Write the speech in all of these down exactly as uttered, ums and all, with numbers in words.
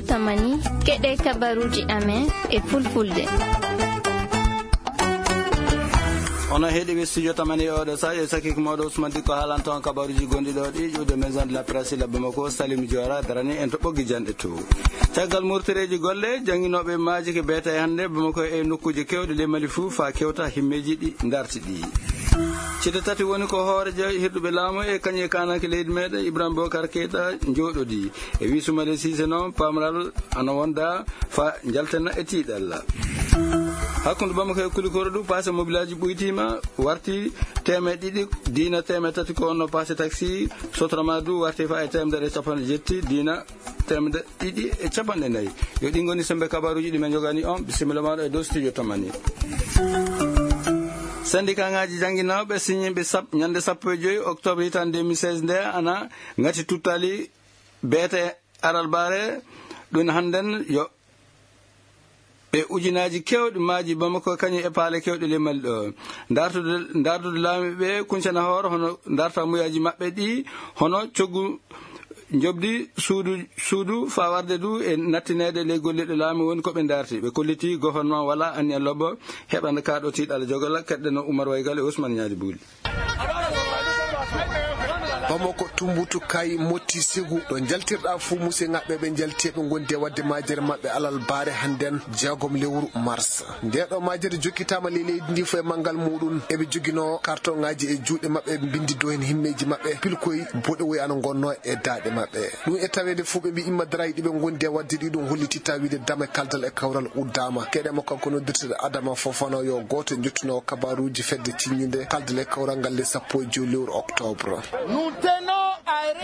Tamani, keɗe kabaruji amen e fulfulde. Ono heɗi ɓe studio tamani e oɗo sa, yo sakiko moɗo Ousmane Dikko haalanto on kabaruji gonɗi ɗo ɗi ƴuwde Maison de la Presse la Bamako, Salim Diora darani en to ɓoggi janɗe to. Caggal murtereji golle, janginoɓe maaji ke beeta e hannde Bamako e nokkuji kewɗi le Mali fuu fa kewta himmeji ɗi darti ɗi. Cite tati woni ko hoorejo hirɗuɓe laamu e kañum e kananke leydi meɗen Ibrahima Bokar Keita jooɗodi. E wi Soumaïla Cissé noon, pamral ana wonda fa jaltena e tiiɗalla. Hakkunde Bamako e Kulikoro du, passe mobilaji ɓuytima, warti teemeɗe ɗiɗi, diina teemeɗe tati ko wonno passe taxi, sotrama du warti fa e teemedere e capanɗe jetti, diina teemedere ɗiɗi e capanɗe nayi. Yo ɗi ngoni sembe kabaruji ɗi men jogani on, bisimilla maɗo e dow studio tamani. Syndicat ngaji jangguinoɓe signimɓe sap-, ñande sappo e joyi octobre hitande deux mille seize nde ana ngati tuttali beete aralbare, ɗum hannden yo ɓe ujunaji kewɗi maaji Bamako kañum e paale kewɗe le Mali ɗo. Dartude, dardude laami ɓe kuncana hoore hono darta muyaji maɓɓe ɗi, hono coggu njobdi suudu, suudu fa warde du e nattinede ley golliɗo laami woni ko ɓe darti. Ɓe kolliti gouvernement wala anniya lobbo heɓana kaɗo tiiɗal jogala. Keɗɗeno Oumar Waygal e Ousmane Ñaali Buuli. Bamako, Tumbutu, Kay, Motti, Segu, ɗo jaltirɗa fuu musidɓe ngaɓɓe ɓe jalti ɓe gondi e wadde majere maɓɓe alal baare hannden jeegom lewru mars. Nde ɗo majere jokkitama ley leydi ndi fof e manngal muɗum. Eɓe jogino kartoŋaaji e juuɗe maɓɓe, eɓe mbindi dow heen himmeeji maɓɓe, pilkoy boɗewoy ana ngonno e daaɗe maɓɓe. Ɗum e taweede fof ɓe mbi imma darayi ɗi ɓe ngondi e wadde ɗi, ɗum holliti tawiide dame kaldal e kawral uddama. Keɗe mo kanko noddirteɗo Adama Fofana yo gooto e jottunowo kabaruuji fedde ciññinde kaldal e kawral ngal le sappo e joy lewru octobre.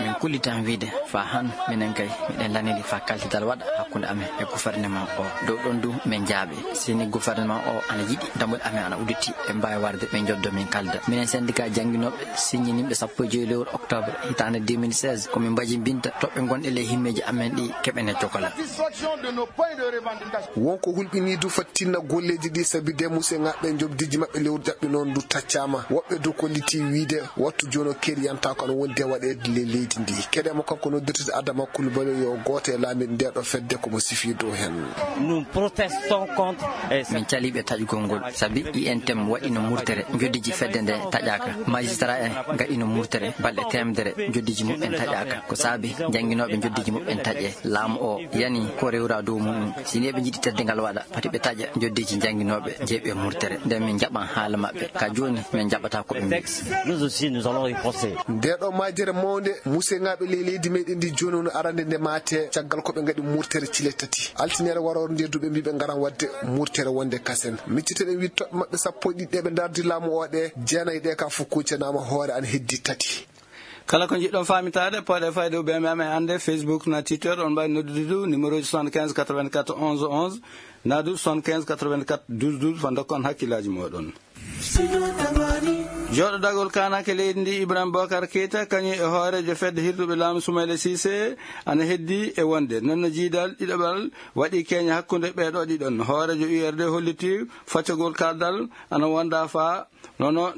Min kullitan wiide fa han minen kay miɗen laniri fa kaltidal waɗa hakkunde amen e gouvernement o. Dow ɗon du min jaaɓe. Sini gouvernement o ana yiɗi dammuɗe amen ana udditi, ɓe mbaawi warde ɓe njoddo min kalda. Minen syndicat jannginooɓe siññinimɓe sappo e joy lewru octobre hitaande deux mille seize, ko min mbaji mbinta toɓɓe gonɗe ley himmeeji amen ɗi keɓene cokola. Wonko hulɓini du fattinna golleeji ɗi sabi de musidɓe ngaɓɓe njobdiji maɓɓe lewru jaɓɓi noon du taccaama. Woɓɓe du kolliti wiide wattu jooni o keriyanta ko ana wondi e waɗeede ley leydi ndi. Keɗe mo kanko noddirtede Adama Coulibaly yo gooto e laamiiɓe nde ɗo fedde ko mo sifi dow heen. Nous protestons contre, eh, min caliiɓe taƴugol ngol, sabi I N T M waɗino murtere, njoddiji fedde nde taƴaaka. Magistrat en ngaɗino murtere, balɗe teemedere, njoddiji muɓɓen taƴaaka. Ko saabi jannginooɓe njoddiji muɓɓen taƴe. Laamu o yani ko rewra dow muɗum. Si ni eɓe njiɗi teddungal waɗa, pati ɓe taƴa njoddiji jannginooɓe, jeeɓe murtere. Nden min njaɓan haala maɓɓe. Ka jooni, min njaɓata ko ɓe mbi. Texte, nous aussi, nous allons riposter. Nde ɗo majere mawnde, musidɓe ngaɓɓe ley leydi meɗen ndi jooni woni arande nde maate, caggal ko ɓe ngaɗi murtere cile tati. Altinere warore nde du ɓe mbi ɓe ngaran waɗde murtere wonde kasen. Micciteɗen wiide toɓɓe maɓɓe sappo e ɗiɗi ɗe ɓe ndardi laamu o ɗe, jeenayi ɗe ka fof kuccanama hoore ana heddi tati. Kala ko njiɗɗon faamitaade, pooɗe fayde U B M M e annde Facebook na Twitter, on mbaawi noddude du numéro ji soixante-quinze quatre-vingt-quatre onze onze, na du soixante-quinze quatre-vingt-quatre douze douze, fa ndokkon hakkillaaji mooɗon. Jooɗodagol kaananke leydi ndi Ibrahima Bokar Keita, kañum e hooreejo fedde hirduɓe laamu Soumaïla Cissé, ana heddi e wonde. Noon no jiidal ɗiɗaɓal waɗi keeña hakkunde ɓee ɗo ɗiɗon. Hooreejo U R D holliti faccagol kaldal ana wonda fa nono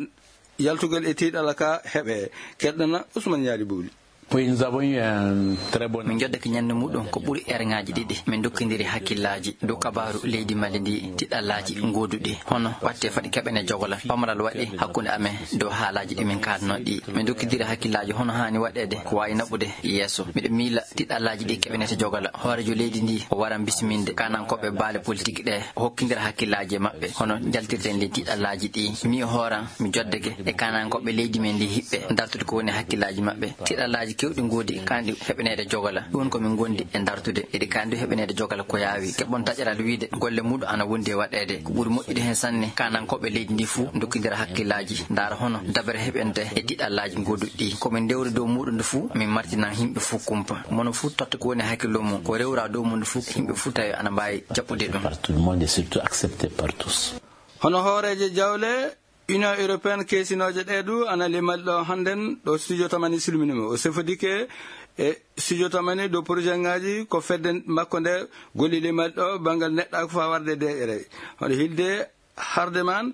yaltugol e tiiɗalla ka heɓe. Keɗɗana Ousmane Ñaali Buuli. Oui, nous avons eu un très bon. Min njoddake ñande muɗum ko ɓuri erŋaaji ɗiɗi. Min ndokkindiri hakkillaaji dow kabaaru leydi Mali ndi, tiɗallaaji gooduɗi. Hono watte foti keɓene jogola. Pamaral waɗi hakkunde amen dow haalaaji ɗi min kaadno ɗi. Min ndokkindiri hakkillaaji hono haani waɗeede ko waawi naɓude yeeso. Miɗo miila tiɗallaaji ɗi keɓenete jogola. Hooreejo leydi ndi o waran bisminde kaanankooɓe baale politique ɗe, o hokkindira hakkillaaji e maɓɓe. Hono njaltirten ley tiɗallaaji ɗi. Mi hooran mi joddake e kaanankooɓe leydi men ndi hiɓɓe dartude ko woni hakkillaaji maɓɓe. Tiɗallaaji kewɗi ngoodi kaandi heɓaneede jogola. Ɗum ko min ngondi e dartude. Eɗi kaandi heɓaneede jogola ko yaawi. Keɓon taƴaral wiide golle muɗum ana wondi e waɗeede. Ko ɓuri moƴƴude heen sanne, kaanankooɓe leydi ndi fuu ndokkindira hakkillaaji. Ndaara hono dabere heɓente e tiɗallaaji ngoduɗi ɗi. Ko min ndewri dow muɗum nde fuu, min martinan yimɓe fuu kumpa. Mono fuu totta ko woni hakkillo mum, ko rewra dow mum nde fuu, yimɓe fuu tawi ana mbaawi jaɓɓude ɗum. Par tout le monde et surtout accepté par tous. Hono hooreejo jawle Union Européenne keesinooje ɗe du ana limal ɗo hannden ɗo studio tamani silminima. O sefodike e studio tamani dow projet ngaji ko fedde makko nde golli limal ɗo banngal neɗɗaako faa warde deƴƴere. Hono hilde harde man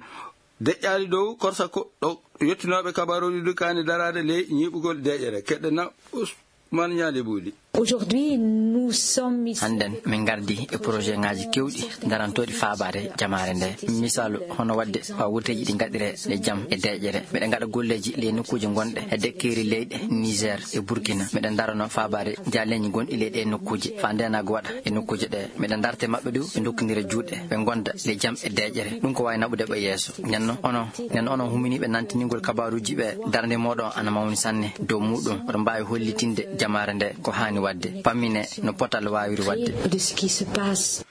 deƴƴaali dow korsa ko ɗo yettinooɓe kabaruuji du kaani daraade ley ñiiɓugol deƴƴere. Keɗɗena Ousmane Ñaali Buuli. Aujourd'hui, nous sommes ici. Hannden, min ngardi e projet ŋaaji keewɗi darantooɗi faabaade jamaare nde. Misaalu, hono waɗde faa wurteeji ɗi ngaɗiree e jam e deeƴere. Miɗen ngaɗa golleeji ley nokkuuje ngonɗe e dekkeeri leyɗe Niger e Burkina. Miɗen darano faabaade jaaleeji gonɗi ley ɗee nokkuuje, faa ndeenaagu waɗa e nokkuuje ɗee. Miɗen darta e maɓɓe du, ɓe ndokkondira juuɗe, ɓe ngonda ley jam e deeƴere. Ɗum ko waawi naɓude ɓe yeeso. Nden non, onon, nden onon huminiiɓe nantiningol kabaaruuji ɓe, darnde mooɗon ana mawni sanne dow muuɗum. Oɗon mbaawi hollitinde jamaare nde ko haani waɗde, pammine no potal waawiri waɗde. De ce qui se passe.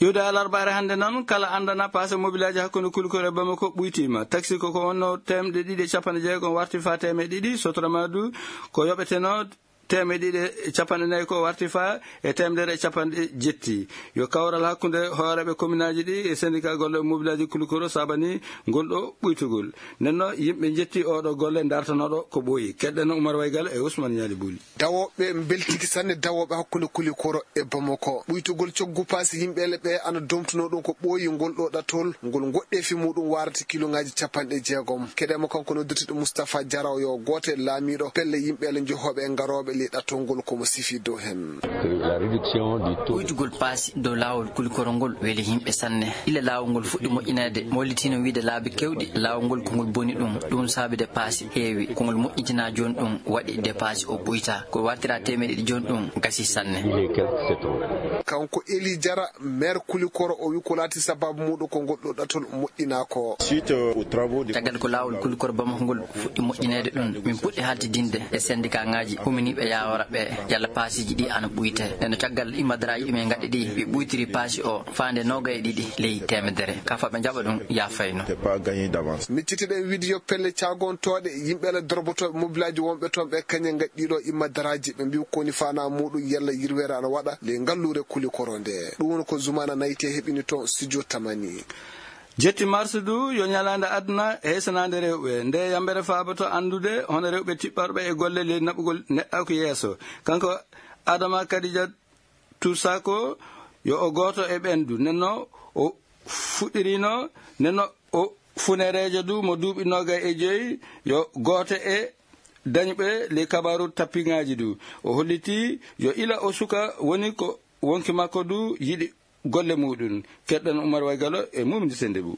Iwde alarbaare hannde noon, kala anndana paase mobilaaji hakkunde Kulikoro e Bamako ɓuytiima. Taxi ko ko wonno teemɗe ɗiɗi e capanɗe jeegom warti faa teemedde ɗiɗi, sotrama du ko yoɓeteno teemedde ɗiɗi e capanɗe nayi ko warti faa e teemedere e capanɗe jetti. Yo kawral hakkunde hooreeɓe kominaaji ɗi e sendika golle mobilaaji Kulikoro saabani ngol ɗo ɓuytugol. Nden no yimɓe njetti oo ɗo golle dartanooɗo ko ɓooyi. Keɗɗen Umar Waygal e Ousmane Ñaali Buli. Dawooɓe mbeltiki sanne, dawooɓe hakkunde Kulikoro e Bamako. Ɓuytugol coggu paasi yimɓeele ɓe ana domtunoo ɗum ko ɓooyi ngol ɗo ɗatol, ngol ngoɗɗeefi muuɗum waarata kiloŋaaji capanɗe jeegom. Keɗen mo kanko noddirteɗo Moustapha Diaraw yo gooto e laamiiɗo pelle yimɓeele njohooɓe e ngarooɓe ley ɗatol ngol ko mo sifi dow heen. La réduction du taux de Ɓuytugol paasi dow laawol Kulikoro ngol weli yimɓe sanne. Ila laawol ngol fuɗɗi moƴƴineede, mollitiino wiyde laabi keewɗi, laawol ngol ko ngol boni ɗum, ɗum saabi de paasi heewi, ko ngol moƴƴintinaa jooni ɗum, waɗi de paasi o ɓuyta. Ko wartira teemedde ɗiɗi jooni ɗum, gasi sanne. Il est quelque, c'est trop. Kanko Eli Jara, maire Kulikoro, o wi ko laati sababu muuɗum ko ngol ɗo ɗatol moƴƴinaa ko. Suite aux travaux de Caggal ko laawol Kulikoro Bamako ngol fuɗɗi moƴƴineede ɗum, min puɗɗi haaltidinde e sendikaaŋaaji huminiiɓe yaawora ɓe, yalla paasiiji ɗi ana ɓuyte. Nden no caggal immadaraaji ɗi min ngaɗi ɗi, ɓe ɓuytiri paasi o faande noogay e ɗiɗi ley teemedere. Ka faa ɓe njaɓa ɗum yaafayno. C'est pas gagné d'avance. Miccitiɗen wiide yo pelle caagontooɗe yimɓe ala dorbotooɓe mobilaaji wonɓe toon ɓe kañe ngaɗi ɗiɗo immadaraaji, ɓe mbiyi ko woni faanaa muuɗum yalla yirweere ana waɗa ley ngalluure Kulikoro nde. Ɗum woni ko Zumaana Nayte heɓini toon studio Tamani. Jetti mars du yo ñalaande aduna heesanaande rewɓe. Nde yambere faaboto anndude hono rewɓe tiɓɓorɓe e golle ley naɓugol neɗɗaaku yeeso. Kanko Adama Kadija Tusako yo o gooto e ɓeen du. Nden no o fuɗɗirino, nden no o funereejo du mo duuɓi noogay e joyi yo gooto e dañɓe ley kabaaru tappiŋaaji du. O holliti yo ila o suka woni ko wonki makko du yiɗi golle muuɗum. Keɗɗen Umar Waygalo e Mumdi Sendebu.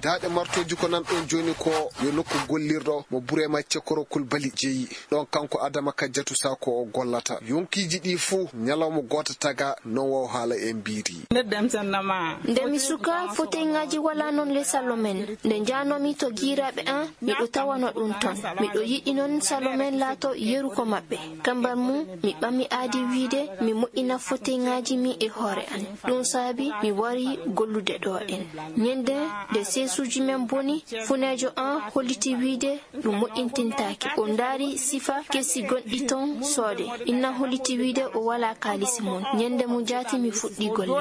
Daaɗe martooji ko nan ɗon jooni ko yo nokku gollirɗo mo Burema Cekoro Kulbali jeyi. Ɗon kanko Adama Kajjatu Sako o gollata. Yonkiiji ɗi fuu ñalawma gooto taga non waw haala en mbiiri. Nde mi suka, foteyŋaaji walaa non le sallo men. Nde njaanoomi to giiraaɓe an, miɗo tawano ɗum ton. Miɗo yiɗi non sallo men laato yeru ko maɓɓe. Kambar mum, mi ɓami aadi wiide mi moƴƴina foteyŋaaji mi e hoore an. Ɗum saabi mi wari gollude ɗo en. Ñande nde seesuuji men boni, funeejo an holliti wiide ɗum moƴƴintintaake. O ndaari sifa kesi gonɗi ton soode. Inna holliti wiide o walaa kaalisi mum. Ñande mo jaati mi fuɗɗi golle.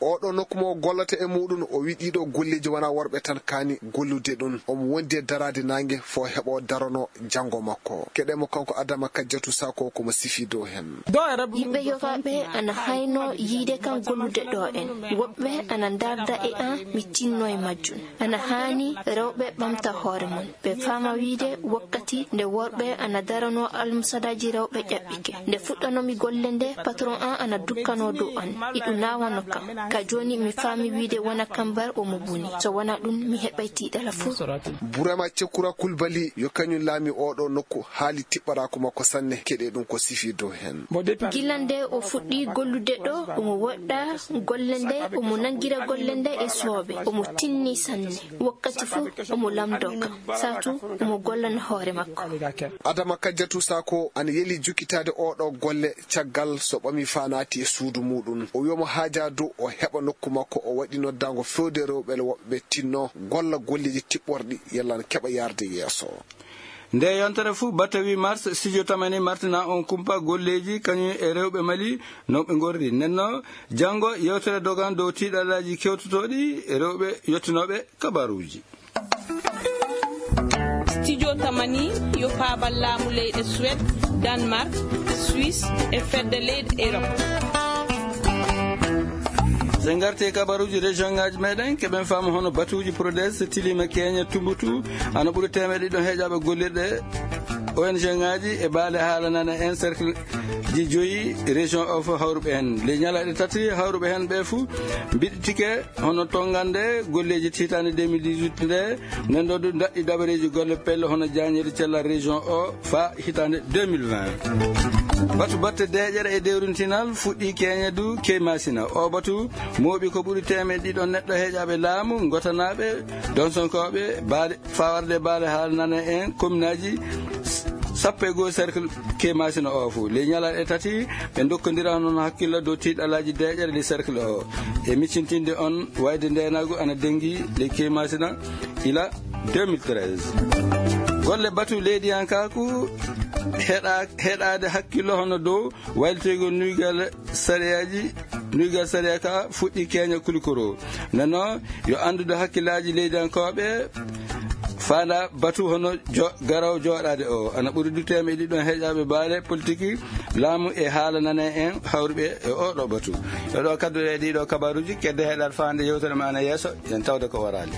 Oɗo nokku mo gollata e muɗum, o wi ɗiɗo golleji wona worɓe tan kaani gollude ɗum. Omo wondi e daraade naange fo heɓo darono janngo makko. Keɗe mo kanko Adama Kajjatu Sako ko mo sifi dow hen. Yimɓe yogaaɓe ana hayno yiide kan gollude ɗo en. Woɓɓe ana ndarda e an mi tinno e majjum. Ana haani rewɓe ɓamta hoore mum. Ɓe faama wiide wakkati nde worɓe ana darano almusadaaji rewɓe ƴaɓɓike. Nde fuɗɗanomi golle nde, patron an ana dukkano dow an. Iɗum naawano kam. Ka jooni mi faami wiide wona kambar omo boni. So wona ɗum mi heɓay tiiɗala fuu. Burema Cekura Kulbali yo kañum laami oɗo nokku, haali tiɓɓaraaku makko sanne, keɗe ɗum ko sifi dow hen. Gila nde o fuɗɗi gollude ɗo, omo woɗɗa golle nde, omo nangira golle nde e sooɓe, omo tinni sanne. Wakkati fuu omo lamndo kam, saatu omo gollana hoore makko. Adama Kajjatu Sako ana yeli jukkitaade oɗo golle caggal so ɓami faa naati e suudu muɗum. O wi omo haaja dow o heɓa nokku makko, o waɗi noddaango fewde rewɓe woɓɓe tinno golla golleeji tiɓɓorɗi yalla na keɓa yaarde yeeso. Nde yontere fuu, batte huit mars, studio Tamani martina on kumpa golleeji kañum e rewɓe Mali no ɓe ngorri. Nenno, janngo yewtere dogan dow tiiɗalaaji kewtotooɗi e rewɓe yottinooɓe kabaruuji. Studio Tamani yo faabal laamu leyɗe Suède, Danemark, Suisse e fedde leyɗe Europe. So en ngarti e kabaruuji région ngaaji meɗen, keɓen faamu hono batuuji Prodes tiliima keeña Tumbutu, ana ɓuri teemeɗe ɗiɗi heeƴaaɓe gollirɗe O N G ngaji e baale haala nana en cercle ji joyi région o fof hawruɓe hen. Ley ñalaaɗe tati hawruɓe hen ɓe fuu mbiɗitike hono tonngande golleeji hitaande deux mille dix-huit nde, nden ɗo ɗum daɗɗi dabareeji golle pelle hono jaañeede cellal région o faa hitaande deux mille vingt. Batu batte deeƴere e dewrintinal fuɗɗi keñe du Keymasina. O batu mooɓi ko ɓuri teemeɗɗe ɗiɗo neɗɗo heeƴaaɓe laamu, ngotanaaɓe, donsonkooɓe, baale, fawarde baale haala nana en kominaaji sappo e goo cercle Keymasina o fof. Ley ñalaaɗe tati, ɓe ndokkondira noon hakkillo dow tiiɗalaaji deeƴere ley cercle o. E miccintinde on wayde ndeenaagu ana dengi ley Keymasina ila deux mille treize. Golle batu leydiyankaaku heɗa-, heɗaade hakkillo hono dow waylitegol nuygal sariyaaji, nuygal sariya ka fuɗɗi keña kulikoro. Nano yo anndude hakkillaaji leydiyankooɓe faanda batu hono jo-, garowo jooɗaade o. Ana ɓuri du teemeɗɗe ɗiɗo heeƴaaɓe baale politiki, laamu e haala nana en hawruɓe e oɗo batu. E ɗo kadduɗe e ɗiɗo kabaruuji, kedde heɗaade faande yewtere ma ana yeeso, yen tawde ko waraali.